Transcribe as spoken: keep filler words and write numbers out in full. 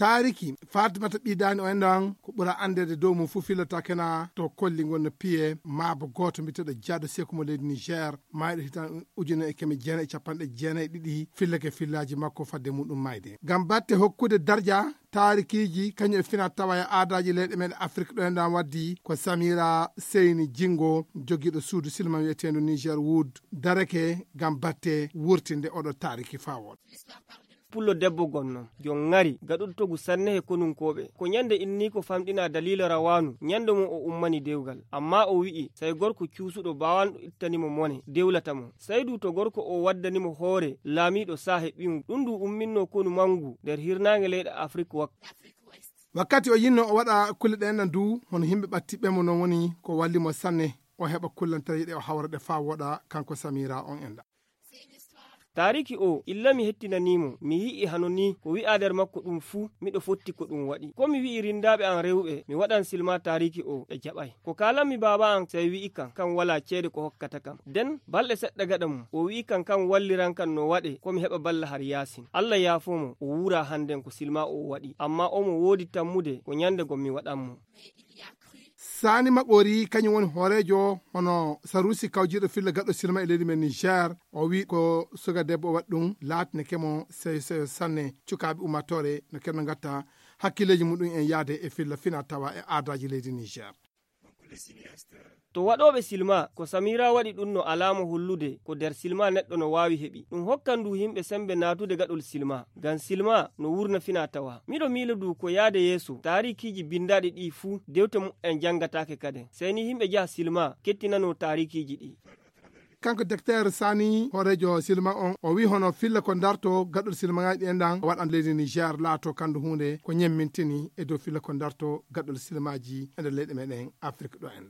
Taariki Fatimata Ɓiidaani o enɗan ko ɓura anndeede dow mum fuu fillata kena to kolli ngon no piye maabo gooto mbiyeteeɗo Jaado Seku mo leydi Niger, maayɗo hitan ujune e keme jeenayi e capanɗe jeenayi e ɗiɗi fillake fillaaji makko fadde muɗum mayde. Ngam batte hokkude darja taarikiiji kañum e fina tawa e aadaaji leyɗe men Afrik ɗo enɗan waddi ko Samira Seyni Jingo jogiiɗo suudu silma wiyeteendu Niger Wood darake ngam batte wurtinde oɗo taariki fawol. Pullo debbo gonno jon ŋari gaɗuɗo togu sanne he konunkooɓe. Ko ñande inni ko famɗina daliila rawaanu ñande mo o ummani dewgal. Amma o wi'i sey gorko cuusuɗo baawanɗo ittani mo mone dewlata mo. Sey du to gorko o waddani mo hoore laamiiɗo saa he ɓiyum. Ɗum du umminno konu manngu nder hirnaange leyɗe Afrik wakka. Wakkati o yinno o waɗa kulle ɗe enɗan du hono himɓe ɓattiɓɓe mo non woni ko walli mo sanne o heɓa kullantereeje ɗe o hawra ɗe faa woɗa kanko Samira on enɗan. Taariki o illa mi hettinanii mo mi yi'i hano nii ko wi'aa nder makko ɗum fuu miɗo fotti ko ɗum waɗi. Ko mi wi'i rindaaɓe am rewɓe mi waɗan silma taariki o ɓe jaɓay. Ko kaalanmi baaba am sey wi'i kam kam walaa ceede ko hokkata kam. Nden balɗe seɗɗa gaɗa mum o wi'i kam kam walliran kam no waɗe ko mi heɓa balla har yaasin. Alla yaafoo mo o wuuraa hannden ko silma o waɗi amma omo woodi tammude ko ñande gom mi waɗan mo. Saani Maɓori kañum woni hooreejo hono Sarusi kawjiiɗo filla gaɗɗo silma e leydi men Niger. O wi ko suka debbo o waɗi ɗum laatineke mo seyo seyo sanne. Cukaaɓe ummaatoore no kenno ngatta hakkileeji muɗum en yaade e filla fina tawa e aadaaji leydi Niger. To waɗooɓe silma ko Samira waɗi ɗum no alaama hollude ko nder silma neɗɗo no waawi heɓi. Ɗum hokkan du yimɓe semmbe naatude gaɗol silma ngam silma no wurna fina tawa. Miɗo miila du ko yaade yeeso taarikiiji binndaaɗi ɗii fuu dewte mu'en janngataake kaden. Sey ni yimɓe njaha silma kettinanoo taarikiiji ɗii. Kanko Doktor Sani hooreejo silma on o wi hono filla ko darto gaɗol silmagaaji ɗi enɗan waɗan leydi Niger laato kandu huunde ko ñemmintini e dow filla ko darto gaɗol silmaaji e nder leyɗe meɗen Afrik ɗo enɗan.